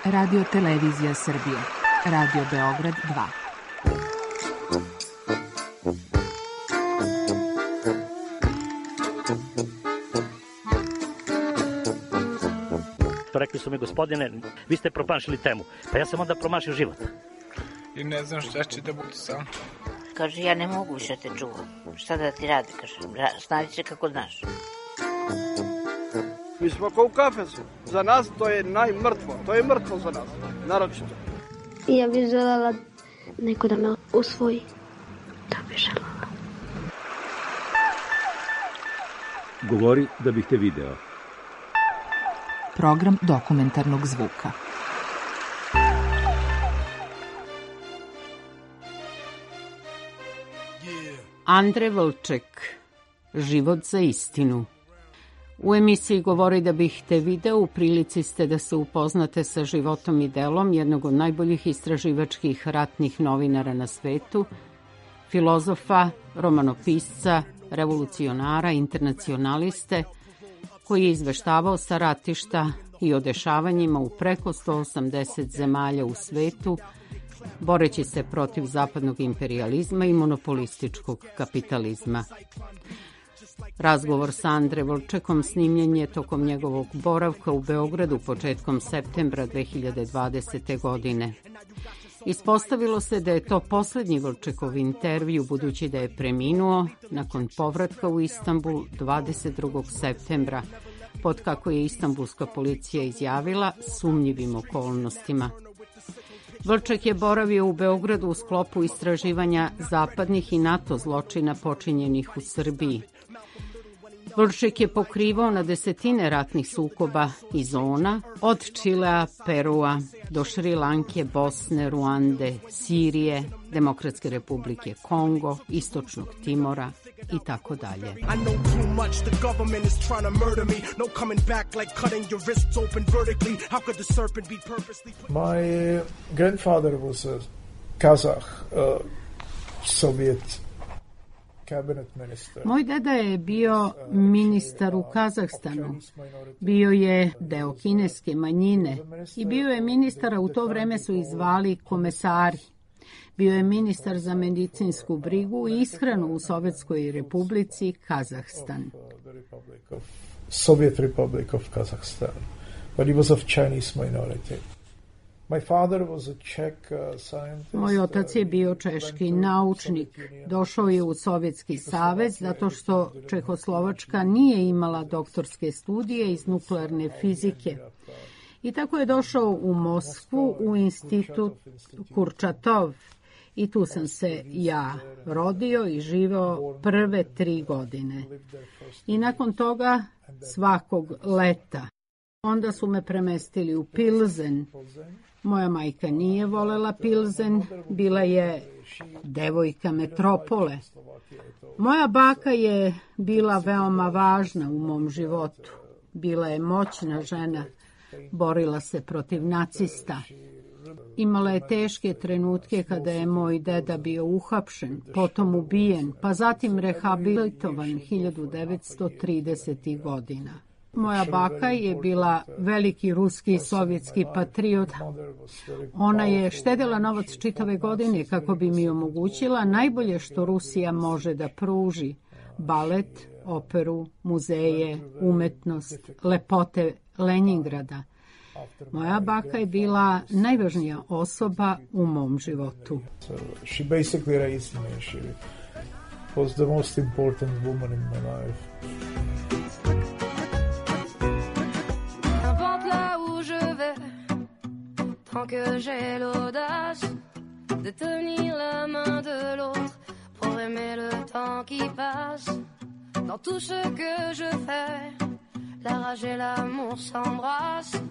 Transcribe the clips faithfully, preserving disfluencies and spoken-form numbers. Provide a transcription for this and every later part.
Radio Televizija Srbije. Radio Beograd dva. Rekli su mi, gospodine, vi ste promašili temu. Pa ja sam onda promašio život. I ne znam šta će da bude sam. Kaže, ja ne mogu više te čuvam. Šta da ti radi, kaže, snađi se kako znaš. Mi smo kao u kafesu. Za nas to je najmrtvo. To je mrtvo za nas, naročito. Ja bih željela neko da me usvoji. Da bih željela. Govori da bih te video. Program dokumentarnog zvuka. Andre Vlček, Život za istinu. U emisiji Govori da bih te video u prilici ste da se upoznate sa životom i delom jednog od najboljih istraživačkih ratnih novinara na svetu, filozofa, romanopisca, revolucionara, internacionaliste, koji je izveštavao sa ratišta i o dešavanjima u preko sto osamdeset zemalja u svetu, boreći se protiv zapadnog imperijalizma i monopolističkog kapitalizma. Razgovor sa Andre Vlčekom snimljen je tokom njegovog boravka u Beogradu početkom septembra dve hiljade dvadesete. godine. Ispostavilo se da je to poslednji Vlčekov intervju, budući da je preminuo nakon povratka u Istanbul dvadeset drugog septembra, pod, kako je istambulska policija izjavila, sumnjivim okolnostima. Vlček je boravio u Beogradu u sklopu istraživanja zapadnih i NATO zločina počinjenih u Srbiji. Vlček je pokrivao na desetine ratnih sukoba i zona, od Čilea, Perua do Šri Lanke, Bosne, Ruande, Sirije, Demokratske republike Kongo, Istočnog Timora i tako dalje. My grandfather was a Kazakh uh, Soviet Moj deda je bio ministar u Kazahstanu, bio je deo kineske manjine i bio je ministar, a u to vreme su ih zvali komesari. Bio je ministar za medicinsku brigu i ishranu u Sovjetskoj republici Kazahstan. Soviet Republic of Kazakhstan, but he was of Chinese minority. Moj otac je bio češki naučnik. Došao je u Sovjetski savez zato što Čehoslovačka nije imala doktorske studije iz nuklearne fizike. I tako je došao u Moskvu u institut Kurčatov. I tu sam se ja rodio i živeo prve tri godine. I nakon toga svakog leta. Onda su me premestili u Pilzen. Moja majka nije volela Pilzen, bila je devojka metropole. Moja baka je bila veoma važna u mom životu. Bila je moćna žena, borila se protiv nacista. Imala je teške trenutke kada je moj deda bio uhapšen, potom ubijen, pa zatim rehabilitovan hiljadu devetsto tridesetih. godina. Moja baka je bila veliki ruski i sovjetski patriot. Ona je štedela novac čitave godine kako bi mi omogućila najbolje što Rusija može da pruži. Balet, operu, muzeje, umetnost, lepote Leningrada. Moja baka je bila najvažnija osoba u mom životu. She basically raised me. She was the most important woman in my life. Tant que j'ai l'audace de tenir la main de l'autre pour aimer le temps qui passe. Dans tout ce que je fais, la rage et l'amour s'embrassent.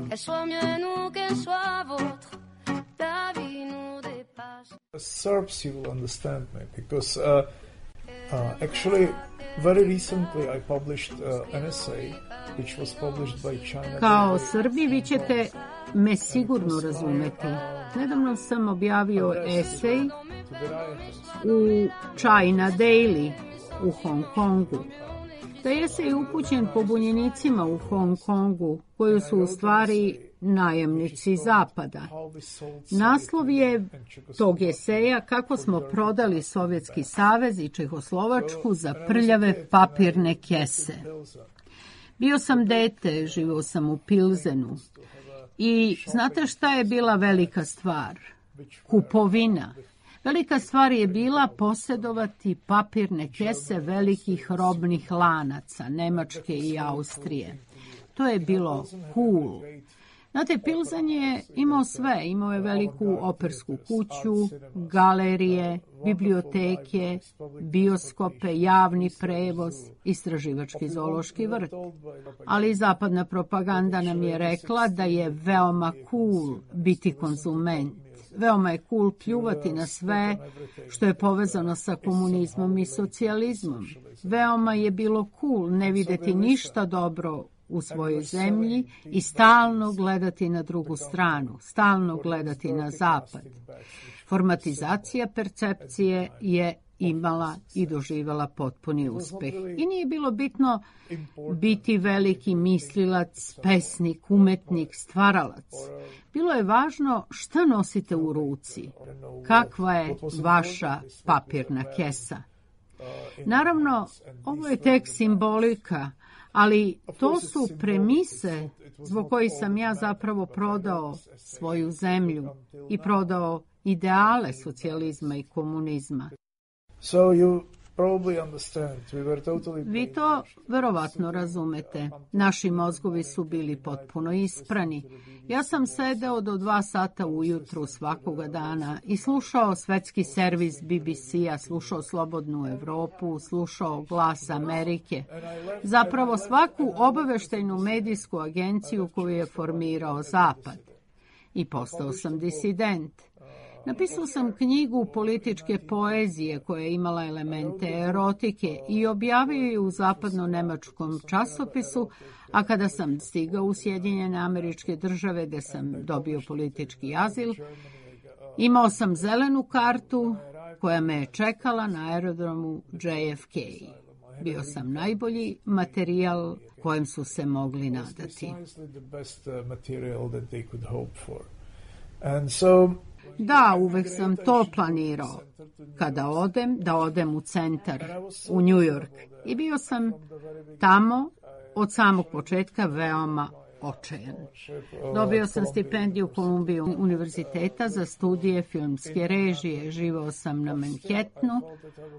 Qu'elle soit mienne ou qu'elle soit vôtre, la vie nous dépasse. Serbs, you will understand me because uh, uh, actually very recently I published uh, an essay which was published by China. Kao Srbi vi ćete me sigurno razumeti. Nedavno sam objavio esej u China Daily u Hong Kongu. Taj esej je upućen pobunjenicima u Hong Kongu, koji su u stvari najemnici Zapada. Naslov je tog eseja kako smo prodali Sovjetski savez i Čehoslovačku za prljave papirne kese. Bio sam dete, živio sam u Pilzenu i znate šta je bila velika stvar? Kupovina. Velika stvar je bila posjedovati papirne kese velikih robnih lanaca, Nemačke i Austrije. To je bilo cool. Znate, Pilzen je imao sve. Imao je veliku opersku kuću, galerije, biblioteke, bioskope, javni prevoz, istraživački zoološki vrt. Ali zapadna propaganda nam je rekla da je veoma cool biti konzument. Veoma je cool pljuvati na sve što je povezano sa komunizmom i socijalizmom. Veoma je bilo cool ne videti ništa dobro u svojoj zemlji i stalno gledati na drugu stranu, stalno gledati na zapad. Formatizacija percepcije je imala i doživjela potpuni uspeh. I nije bilo bitno biti veliki mislilac, pesnik, umetnik, stvaralac. Bilo je važno šta nosite u ruci, kakva je vaša papirna kesa. Naravno, ovo je tek simbolika, ali to su premise zbog kojih sam ja zapravo prodao svoju zemlju i prodao ideale socijalizma i komunizma. So you probably understand. We were totally Vi to verovatno razumete. Naši mozgovi su bili potpuno isprani. Ja sam sedeo do dva sata ujutru svakoga dana i slušao svetski servis B B C-a, slušao Slobodnu Evropu, slušao Glas Amerike. Zapravo svaku obaveštajnu medijsku agenciju koju je formirao Zapad. I postao sam disident. Napisao sam knjigu političke poezije koja je imala elemente erotike i objavio je u zapadno-nemačkom časopisu, a kada sam stigao u Sjedinjene Američke Države gde sam dobio politički azil, imao sam zelenu kartu koja me je čekala na aerodromu J F K. Bio sam najbolji materijal kojem su se mogli nadati. Da, uvek sam to planirao. Kada odem, da odem u centar, u New York. I bio sam tamo od samog početka veoma očajan. Dobio sam stipendiju Columbia univerziteta za studije filmske režije. Živao sam na Manhattanu,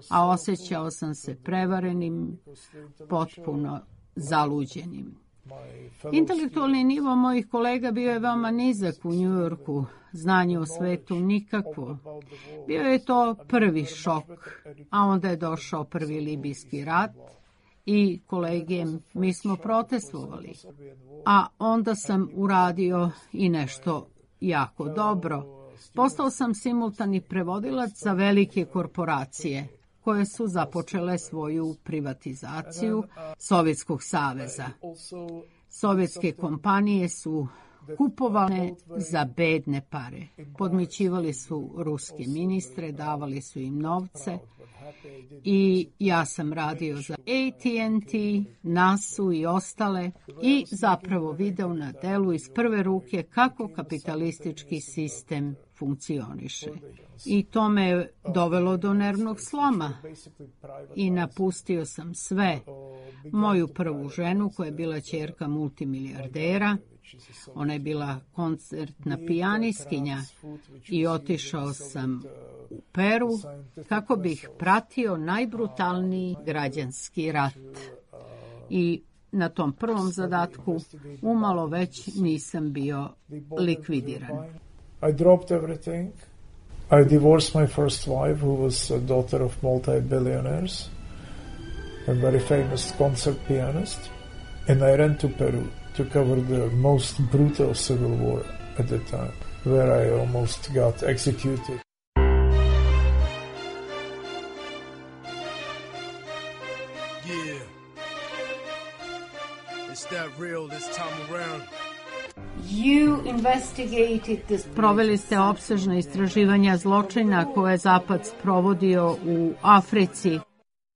a osjećao sam se prevarenim, potpuno zaluđenim. Intelektualni nivo mojih kolega bio je veoma nizak u New Yorku, znanje o svetu nikakvo. Bio je to prvi šok, a onda je došao prvi libijski rat i kolege, mi smo protestovali. A onda sam uradio i nešto jako dobro. Postao sam simultani prevodilac za velike korporacije koje su započele svoju privatizaciju Sovjetskog saveza. Sovjetske kompanije su kupovane za bedne pare. Podmićivali su ruske ministre, davali su im novce i ja sam radio za A T and T, nasu i ostale i zapravo video na delu iz prve ruke kako kapitalistički sistem funkcioniše. I to me je dovelo do nervnog sloma i napustio sam sve. Moju prvu ženu koja je bila ćerka multimilijardera, ona je bila koncertna pijanistkinja i otišao sam u Peru kako bih pratio najbrutalniji građanski rat. I na tom prvom zadatku umalo već nisam bio likvidiran. I dropped everything. I divorced my first wife, who was a daughter of multi-billionaires, a very famous concert pianist, and I ran to Peru to cover the most brutal civil war at the time, where I almost got executed. Yeah. It's that real this time around. You investigated this. Proveli ste opsežna istraživanja zločina koje je Zapad sprovodio u Africi.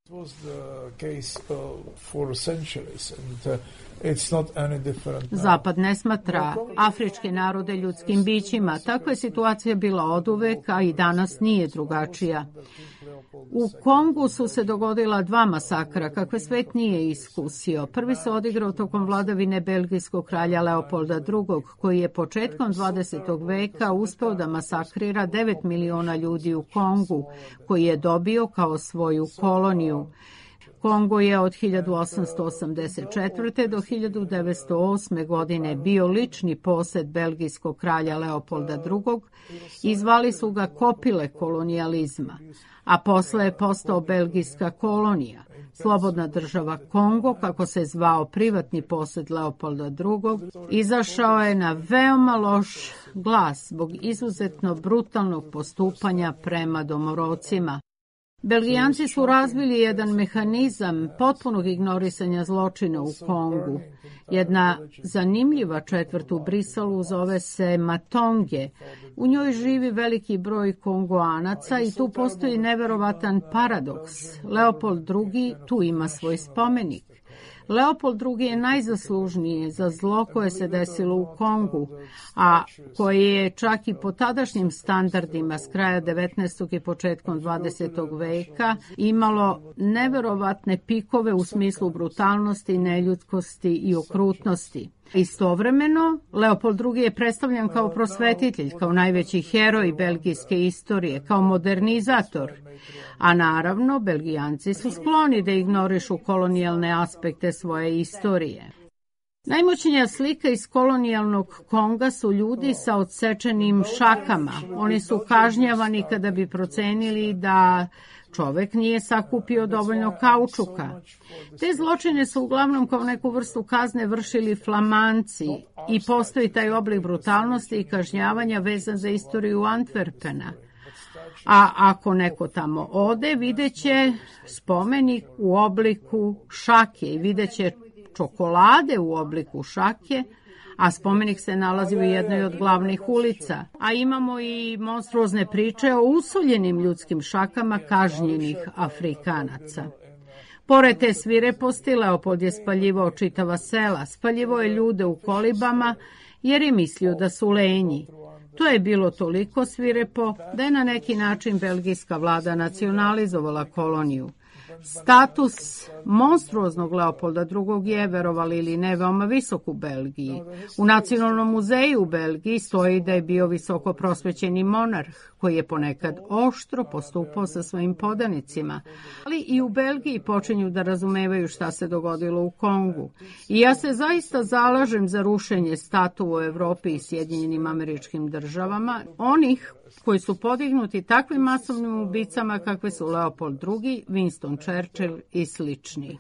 It was the case uh, for centuries and uh, it's not any different now. Zapad ne smatra afričke narode ljudskim bićima. Takva je situacija bila oduvek, a i danas nije drugačija. U Kongu su se dogodila dva masakra, kakve svet nije iskusio. Prvi se odigrao tokom vladavine belgijskog kralja Leopolda drugog, koji je početkom dvadesetog veka uspeo da masakrira devet miliona ljudi u Kongu, koji je dobio kao svoju koloniju. Kongo je od hiljadu osamsto osamdeset četvrte. do hiljadu devetsto osme. godine bio lični posed belgijskog kralja Leopolda drugog i zvali su ga kopile kolonijalizma, a posle je postao belgijska kolonija. Slobodna država Kongo, kako se zvao privatni posed Leopolda drugog, izašao je na veoma loš glas zbog izuzetno brutalnog postupanja prema domorodcima. Belgijanci su razvili jedan mehanizam potpunog ignorisanja zločina u Kongu. Jedna zanimljiva četvrt u Brisalu zove se Matonge. U njoj živi veliki broj Kongoanaca i tu postoji neverovatan paradoks. Leopold drugi tu ima svoj spomenik. Leopold drugi je najzaslužniji za zlo koje se desilo u Kongu, a koje je čak i po tadašnjim standardima s kraja devetnaestog i početkom dvadesetog veka imalo neverovatne pikove u smislu brutalnosti, neljudskosti i okrutnosti. Istovremeno, Leopold drugi je predstavljan kao prosvetitelj, kao najveći heroj belgijske istorije, kao modernizator. A naravno, Belgijanci su skloni da ignorišu kolonijalne aspekte svoje istorije. Najmoćnija slika iz kolonijalnog Konga su ljudi sa odsečenim šakama. Oni su kažnjavani kada bi procenili da čovek nije sakupio dovoljno kaučuka. Te zločine su uglavnom kao neku vrstu kazne vršili Flamanci i postoji taj oblik brutalnosti i kažnjavanja vezan za istoriju Antwerpena. A ako neko tamo ode, videće spomenik u obliku šake i videće čokolade u obliku šake, a spomenik se nalazi u jednoj od glavnih ulica. A imamo i monstruozne priče o usoljenim ljudskim šakama kažnjenih Afrikanaca. Pored te svireposti, Leopold je spaljivao čitava sela, spaljivao je ljude u kolibama jer je mislio da su lenji. To je bilo toliko svirepo da je na neki način belgijska vlada nacionalizovala koloniju. Status monstruoznog Leopolda drugog je, verovali ili ne, veoma visok u Belgiji. U Nacionalnom muzeju u Belgiji stoji da je bio visoko prosvećeni monarh, koji je ponekad oštro postupao sa svojim podanicima. Ali i u Belgiji počinju da razumevaju šta se dogodilo u Kongu. I ja se zaista zalažem za rušenje statua u Evropi i Sjedinjenim Američkim Državama, onih koji su podignuti takvim masovnim ubicama kakve su Leopold drugi, Winston Churchill i slični.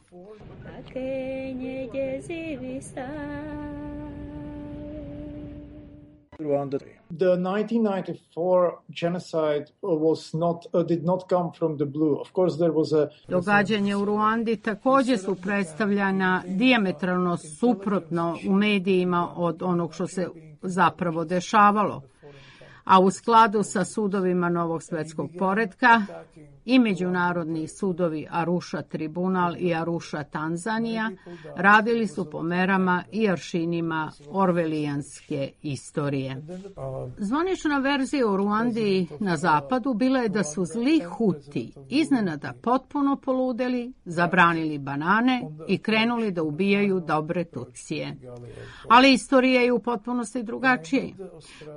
The nineteen ninety-four genocide was not uh, did not come from the blue. Of course there was a Događanja u Ruandi takođe su predstavljana dijametralno suprotno u medijima od onog što se zapravo dešavalo. A u skladu sa sudovima Novog svetskog poretka i međunarodni sudovi Arusha Tribunal i Arusha Tanzanija radili su po merama i aršinima orvelijanske istorije. Zvanična verzija u Ruandi na zapadu bila je da su zli Huti iznenada potpuno poludeli, zabranili banane i krenuli da ubijaju dobre Tutsije. Ali istorija je u potpunosti drugačija.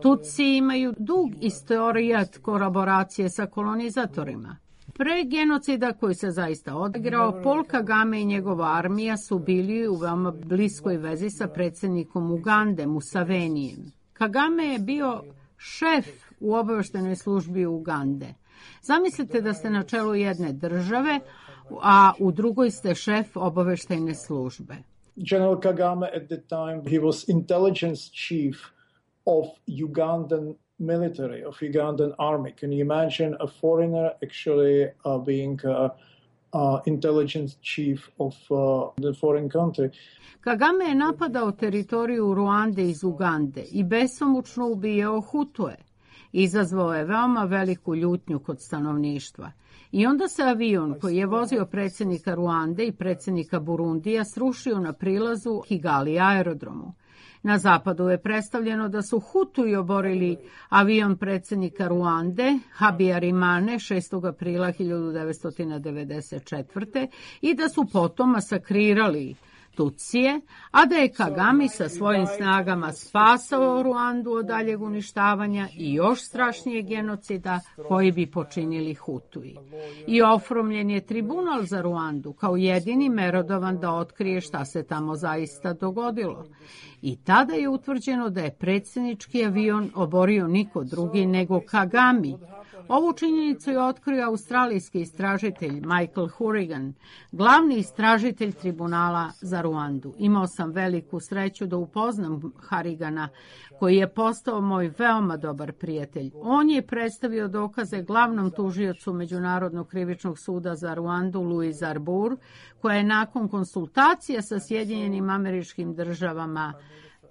Tutsi imaju dug istorijat kolaboracije sa kolonizatorima. Pre genocida koji se zaista odigrao, Paul Kagame i njegova armija su bili u veoma bliskoj vezi sa predsjednikom Ugande, Musevenijem. Kagame je bio šef u obaveštajnoj službi Ugande. Zamislite da ste na čelu jedne države, a u drugoj ste šef obaveštajne službe. General Kagame at the time, he was intelligence chief of Ugandan military, of Ugandan army. Can you imagine a foreigner actually uh, being uh, uh, intelligence chief of uh, the foreign country? Kagame je napadao teritoriju Ruande iz Ugande i besomučno ubijao Hutue. Izazvao je veoma veliku ljutnju kod stanovništva. I onda se avion koji je vozio predsjednika Ruande i predsjednika Burundija srušio na prilazu Kigali aerodromu. Na zapadu je predstavljeno da su Hutuji oborili avion predsjednika Ruande, Habyarimane, šestog aprila hiljadu devetsto devedeset četvrte. i da su potom masakrirali Tutsije, a da je Kagame sa svojim snagama spasao Ruandu od daljeg uništavanja i još strašnijeg genocida koji bi počinili Hutuji. I oformljen je tribunal za Ruandu kao jedini merodavan da otkrije šta se tamo zaista dogodilo. I tada je utvrđeno da je predsjednički avion oborio niko drugi nego Kagame. Ovu činjenicu je otkrio australijski istražitelj Michael Hourigan, glavni istražitelj tribunala za Ruandu. Imao sam veliku sreću da upoznam Hourigana, koji je postao moj veoma dobar prijatelj. On je predstavio dokaze glavnom tužiocu Međunarodnog krivičnog suda za Ruandu, Louise Arbour, koja je nakon konsultacija sa Sjedinjenim Američkim Državama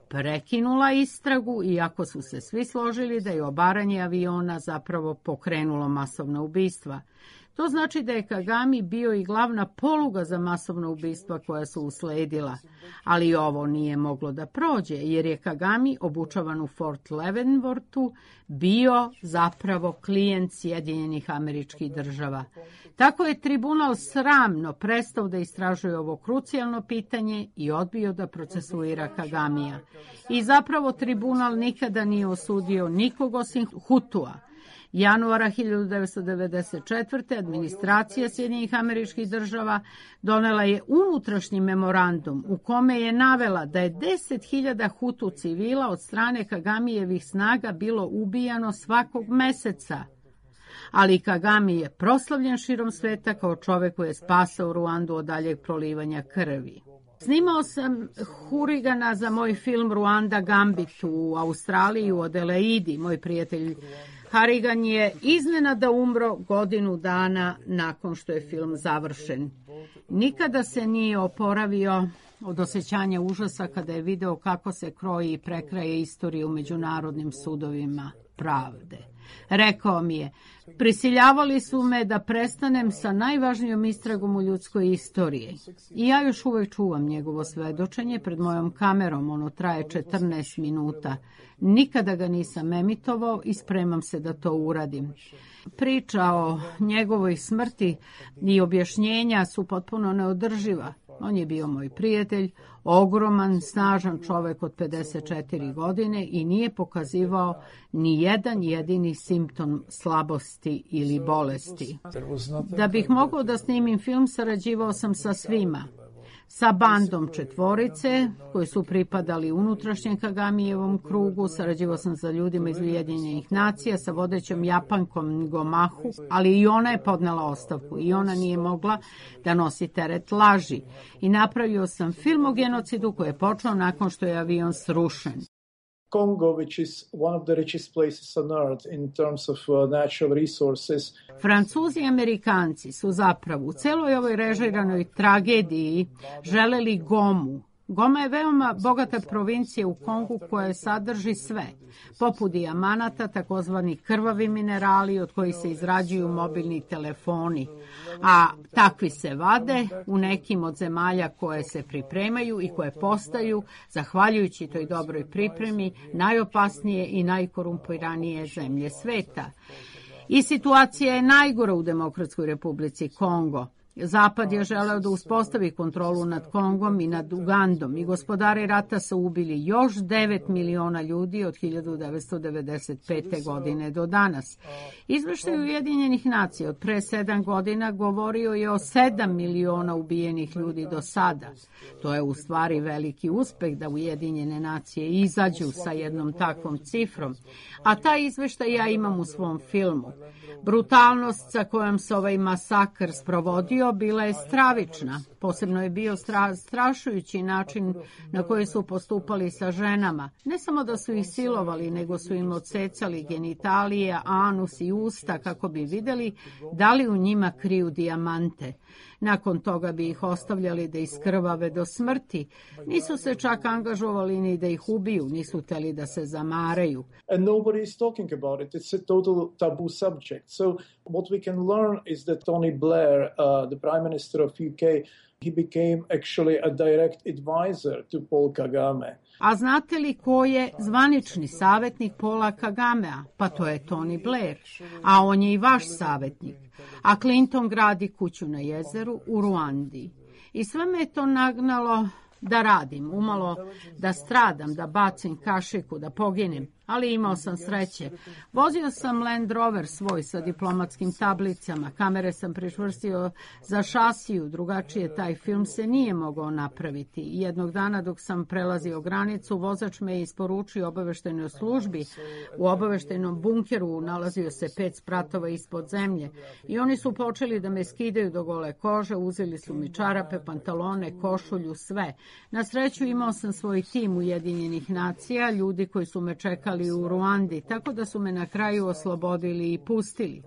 prekinula istragu, iako su se svi složili da je obaranje aviona zapravo pokrenulo masovna ubistva. To znači da je Kagame bio i glavna poluga za masovna ubistva koja su usledila. Ali ovo nije moglo da prođe, jer je Kagame, obučavan u Fort Leavenworthu, bio zapravo klijent Sjedinjenih Američkih Država. Tako je tribunal sramno prestao da istražuje ovo krucijalno pitanje i odbio da procesuira Kagamija. I zapravo tribunal nikada nije osudio nikog osim Hutua. Januara hiljadu devetsto devedeset četvrte. administracija Sjedinjenih Američkih Država donela je unutrašnji memorandum u kome je navela da je deset hiljada Hutu civila od strane Kagamijevih snaga bilo ubijano svakog meseca. Ali Kagame je proslavljen širom sveta kao čovek koji je spasao Ruandu od daljeg prolivanja krvi. Snimao sam Hourigana za moj film Ruanda Gambit u Australiji u Adelaidi. Moj prijatelj Hourigan je iznenada umro godinu dana nakon što je film završen. Nikada se nije oporavio od osjećanja užasa kada je video kako se kroji i prekraje istorija u međunarodnim sudovima pravde. Rekao mi je, prisiljavali su me da prestanem sa najvažnijom istragom u ljudskoj istoriji. I ja još uvek čuvam njegovo svedočenje pred mojom kamerom, ono traje četrnaest minuta. Nikada ga nisam emitovao i spremam se da to uradim. Priča o njegovoj smrti i objašnjenja su potpuno neodrživa. On je bio moj prijatelj, ogroman, snažan čovek od pedeset četiri godine i nije pokazivao ni jedan jedini simptom slabosti ili bolesti. Da bih mogao da snimim film, sarađivao sam sa svima. Sa bandom četvorice, koji su pripadali unutrašnjem Kagamijevom krugu, sarađivao sam sa ljudima iz Ujedinjenih nacija, sa vodećom Japankom Gomahu, ali i ona je podnela ostavku i ona nije mogla da nosi teret laži. I napravio sam film o genocidu koji je počeo nakon što je avion srušen. Congo, which is one of the richest places on earth in terms of uh, natural resources. Francuzi i Amerikanci su zapravo u celoj ovoj režiranoj tragediji želeli Gomu. Goma je veoma bogata provincija u Kongu koja sadrži sve, poput dijamanata, takozvani krvavi minerali od kojih se izrađuju mobilni telefoni, a takvi se vade u nekim od zemalja koje se pripremaju i koje postaju, zahvaljujući toj dobroj pripremi, najopasnije i najkorumpiranije zemlje sveta. I situacija je najgora u Demokratskoj Republici Kongo. Zapad je želeo da uspostavi kontrolu nad Kongom i nad Ugandom i gospodari rata su ubili još devet miliona ljudi od hiljadu devetsto devedeset pete. godine do danas. Izveštaj Ujedinjenih nacija od pre sedam godina govorio je o sedam miliona ubijenih ljudi do sada. To je u stvari veliki uspeh da Ujedinjene nacije izađu sa jednom takvom cifrom, a taj izveštaj ja imam u svom filmu. Brutalnost sa kojom se ovaj masakr sprovodio bila je stravična. Posebno je bio stra, strašujući način na koji su postupali sa ženama. Ne samo da su ih silovali, nego su im odsecali genitalije, anus i usta kako bi videli da li u njima kriju dijamante. Nakon toga bi ih ostavljali da iskrvave do smrti. Nisu se čak angažovali ni da ih ubiju, nisu hteli da se zamaraju. And nobody is talking about it. It's a total taboo subject. So what we can learn is that Tony Blair, uh, the Prime Minister of U K, he became actually a direct advisor to Paul Kagame. A znate li ko je zvanični savjetnik Paula Kagamea? Pa to je Tony Blair, a on je i vaš savjetnik. A Clinton gradi kuću na jezeru u Ruandi. I sve me je to nagnalo da radim, umalo da stradam, da bacim kašiku, da poginem, ali imao sam sreće. Vozio sam Land Rover svoj sa diplomatskim tablicama, kamere sam pričvrstio za šasiju, drugačije taj film se nije mogao napraviti. Jednog dana dok sam prelazio granicu, vozač me je isporučio obaveštajnoj službi. U obaveštajnom bunkeru nalazio se pet spratova ispod zemlje i oni su počeli da me skidaju do gole kože, uzeli su mi čarape, pantalone, košulju, sve. Na sreću imao sam svoj tim Ujedinjenih nacija, ljudi koji su me čekali u Ruandi, tako da su me na kraju oslobodili i pustili.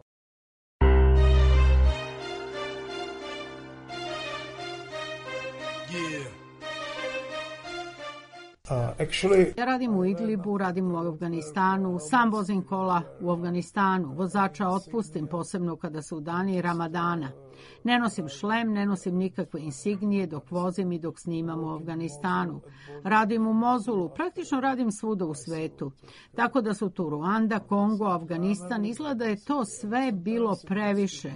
Uh, actually, ja radim u Idlibu, radim u Afganistanu, sam vozim kola u Afganistanu, vozača otpustim, posebno kada su dani Ramadana. Ne nosim šlem, ne nosim nikakve insignije dok vozim i dok snimam u Afganistanu. Radim u Mozulu, praktično radim svuda u svetu. Tako da su tu Ruanda, Kongo, Afganistan, izgleda je to sve bilo previše.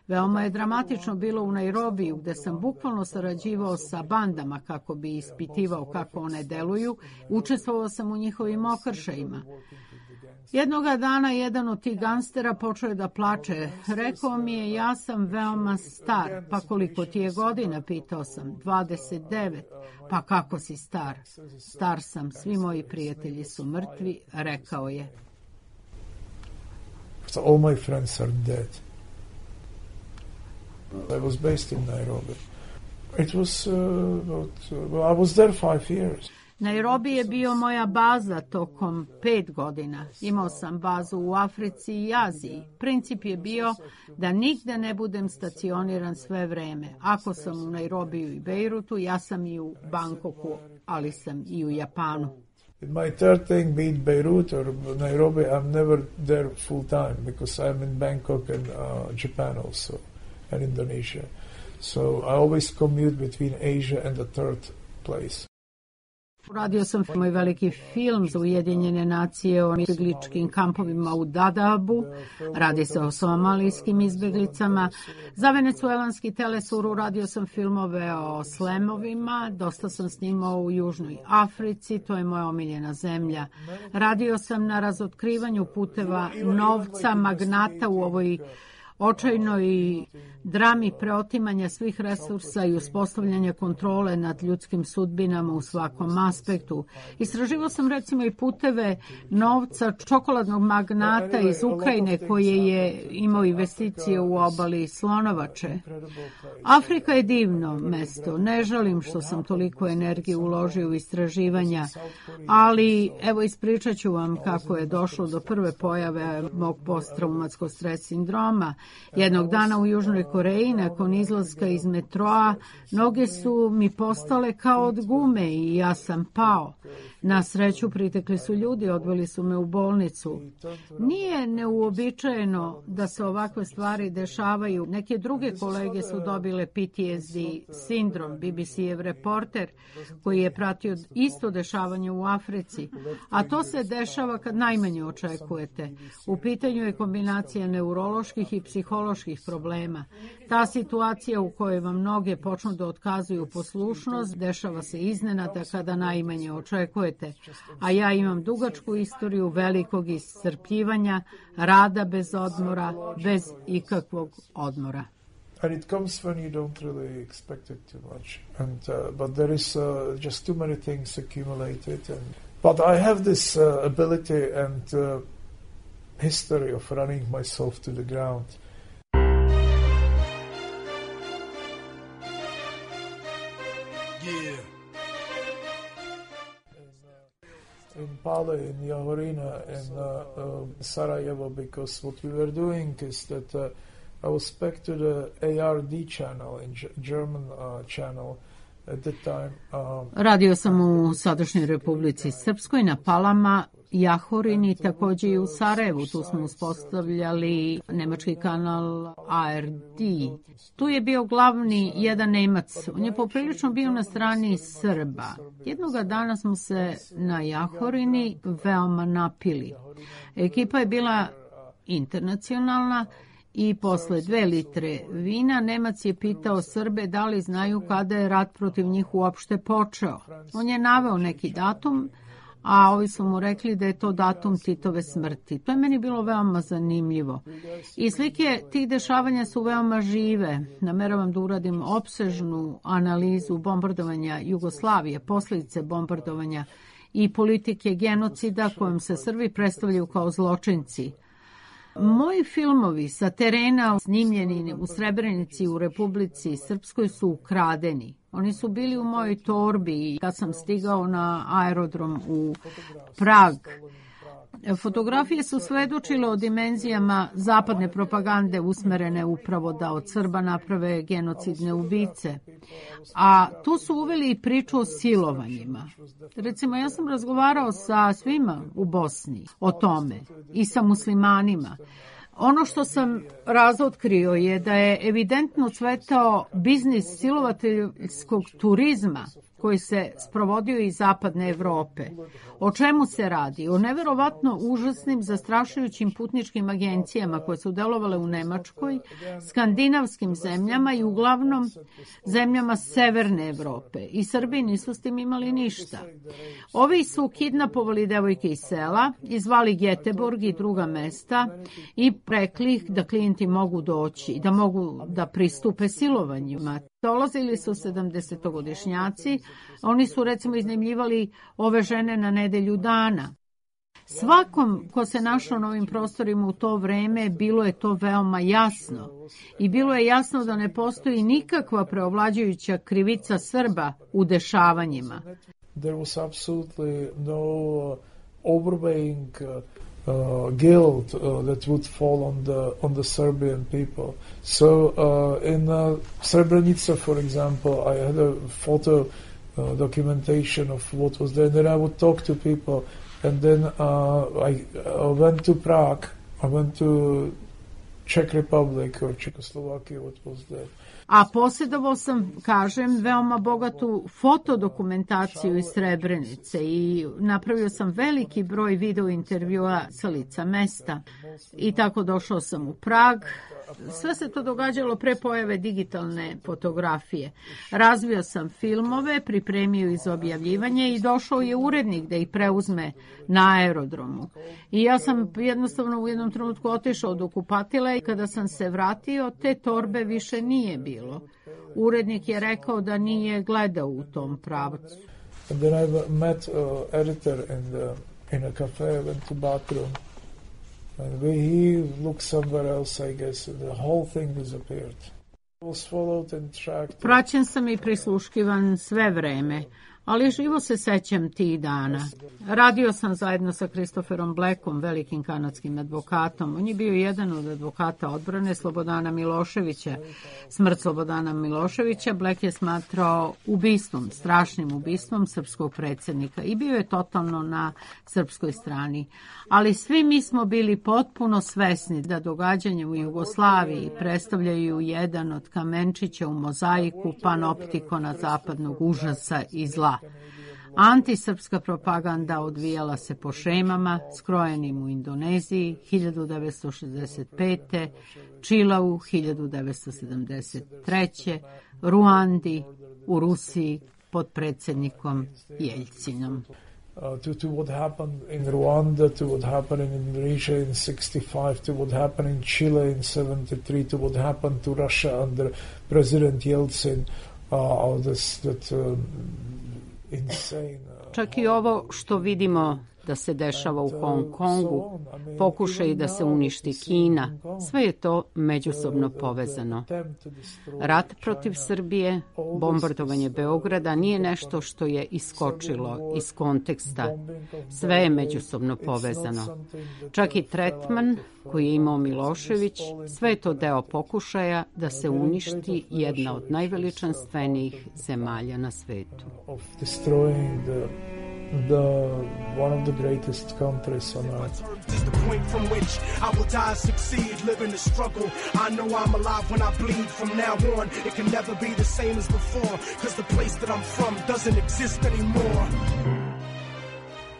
Veoma je dramatično bilo u Nairobiju, gde sam bukvalno sarađivao sa bandama kako bi ispitivao kako one deluju. Učestvovao sam u njihovim okršajima. Jednoga dana jedan od tih gangstera počeo je da plače. Rekao mi je, ja sam veoma star. Pa koliko ti je godina, pitao sam. dvadeset devet. Pa kako si star? Star sam, svi moji prijatelji su mrtvi, rekao je. So all my friends are dead. I was based in Nairobi. It was uh, about, uh, well, I was there five years. Nairobi je bio moja baza tokom pet godina. Imao sam bazu u Africi i Aziji. Princip je bio da nigde ne budem stacioniran sve vreme. Ako sam u Nairobiju i Bejrutu, ja sam i u Bangkoku, ali sam i u Japanu. My third thing, be it Beirut or Nairobi, I'm never there full time because I'm in Bangkok and uh, Japan also, and Indonesia. So I always commute between Asia and the third place. Radio sam moj veliki film za Ujedinjene nacije o izbegličkim kampovima u Dadaabu. Radi se o somalijskim izbeglicama. Za venecuelanski telesur radio sam filmove o slemovima. Dosta sam snimao u Južnoj Africi, to je moja omiljena zemlja. Radio sam na razotkrivanju puteva novca, magnata u ovoj očajnoj drami preotimanja svih resursa i uspostavljanja kontrole nad ljudskim sudbinama u svakom aspektu. Istraživao sam recimo i puteve novca čokoladnog magnata iz Ukrajine koji je imao investicije u obali Slonovače. Afrika je divno mesto. Ne žalim što sam toliko energije uložio u istraživanja, ali evo ispričat ću vam kako je došlo do prve pojave mog posttraumatskog stres sindroma. Jednog dana u Južnoj Koreji, nakon izlaska iz metroa, noge su mi postale kao od gume i ja sam pao. Na sreću pritekli su ljudi, odveli su me u bolnicu. Nije neuobičajeno da se ovakve stvari dešavaju. Neke druge kolege su dobile P T S D sindrom. B B C-ev reporter koji je pratio isto dešavanje u Africi. A to se dešava kad najmanje očekujete. U pitanju je kombinacija neuroloških i psiholoških problema. Ta situacija u kojoj vam noge počnu da otkazuju poslušnost dešava se iznenada kada najmanje očekujete. A ja imam dugačku istoriju velikog iscrpljivanja, rada bez odmora, bez ikakvog odmora. And it comes when you don't really expect it too much. And uh, but there is uh, just too many things accumulated. And but I have this uh, ability and uh, history of running myself to the ground. Yeah. In Pale, in Jahorina, in uh, uh, Sarajevo, because what we were doing is that uh, I was back to the A R D channel, in German uh, channel at that time. Um, Radio sam u sadašnjoj Republici Srpskoj na Palama, Jahorini, takođe i u Sarajevu. Tu smo uspostavljali nemački kanal A R D. Tu je bio glavni jedan Nemac. On je poprilično bio na strani Srba. Jednoga dana smo se na Jahorini veoma napili. Ekipa je bila internacionalna i posle dve litre vina Nemac je pitao Srbe da li znaju kada je rat protiv njih uopšte počeo. On je naveo neki datum, a ovi su mu rekli da je to datum Titove smrti. To je meni bilo veoma zanimljivo. I slike tih dešavanja su veoma žive. Nameravam da uradim opsežnu analizu bombardovanja Jugoslavije, posljedice bombardovanja i politike genocida kojom se Srbi predstavljaju kao zločinci. Moji filmovi sa terena snimljeni u Srebrenici u Republici Srpskoj su ukradeni. Oni su bili u mojoj torbi i kad sam stigao na aerodrom u Prag. Fotografije su svedočile o dimenzijama zapadne propagande usmerene upravo da od Srba naprave genocidne ubice. A tu su uveli i priču o silovanjima. Recimo, ja sam razgovarao sa svima u Bosni o tome i sa muslimanima. Ono što sam razotkrio je da je evidentno cvetao biznis silovateljskog turizma koji se sprovodio iz zapadne Evrope. O čemu se radi? O neverovatno užasnim, zastrašujućim putničkim agencijama koje su delovale u Nemačkoj, skandinavskim zemljama i uglavnom zemljama severne Evrope. I Srbi nisu s tim imali ništa. Ovi su kidnapovali devojke iz sela, izvali Geteborg i druga mesta i rekli ih da klijenti mogu doći, da mogu da pristupe silovanjima. Dolazili su sedamdesetogodišnjaci, oni su recimo iznajmljivali ove žene na nedelju dana. Svakom ko se našao na ovim prostorima u to vreme bilo je to veoma jasno i bilo je jasno da ne postoji nikakva preovlađujuća krivica Srba u dešavanjima. There was absolutely no uh, overweighing uh, Uh, guilt uh, that would fall on the on the Serbian people. So uh, in uh, Srebrenica, for example, I had a photo uh, documentation of what was there. And then I would talk to people, and then uh, I uh, went to Prague. I went to Czech Republic or Czechoslovakia. What was there? A posjedovao sam, kažem, veoma bogatu fotodokumentaciju iz Srebrenice i napravio sam veliki broj video intervjua sa lica mesta. I tako došao sam u Prag. Sve se to događalo pre pojave digitalne fotografije. Razvio sam filmove, pripremio iz objavljivanja i došao je urednik da ih preuzme na aerodromu. I ja sam jednostavno u jednom trenutku otišao od okupatila i kada sam se vratio, te torbe više nije bilo. Urednik je rekao da nije gledao u tom pravcu. And then I met uh, editor in the in a cafe, I went to bathroom. And he looked somewhere else, I guess. The whole thing disappeared. Was followed and tracked. Praćen sam i prisluškivan sve vreme, ali živo se sećam tih dana. Radio sam zajedno sa Christopherom Blackom, velikim kanadskim advokatom. On je bio jedan od advokata odbrane Slobodana Miloševića. Smrt Slobodana Miloševića Black je smatrao ubistvom, strašnim ubistvom srpskog predsjednika i bio je totalno na srpskoj strani. Ali svi mi smo bili potpuno svesni da događanja u Jugoslaviji predstavljaju jedan od kamenčića u mozaiku panoptikona zapadnog užasa i zla. Antisrpska propaganda odvijala se po šemama skrojenim u Indoneziji hiljadu devetsto šezdeset pete. Čilau hiljadu devetsto sedamdeset treće. Ruandi u Rusiji pod predsjednikom Jeljcinom. Uh, to, to what happened in Rwanda, to what happened in Indonesia in sixty-five, to what happened in Chile in seventy-three, to what happened to Russia under President Yeltsin, uh, this, that uh, insane... Uh, Čak i ovo što vidimo da se dešava u Hong Kongu, pokušaj da se uništi Kina, sve je to međusobno povezano. Rat protiv Srbije, bombardovanje Beograda nije nešto što je iskočilo iz konteksta. Sve je međusobno povezano. Čak i tretman koji je imao Milošević, sve je to deo pokušaja da se uništi jedna od najveličanstvenijih zemalja na svetu. The one of the greatest countries on earth. Is the point from which I will die, succeed, live in the struggle. I know I'm alive when I bleed. From now on, it can never be the same as before, cause the place that I'm from doesn't exist anymore.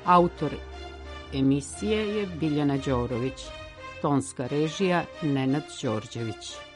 Autor emisije je Biljana Đorović, tonska režija Nenad Đorđević.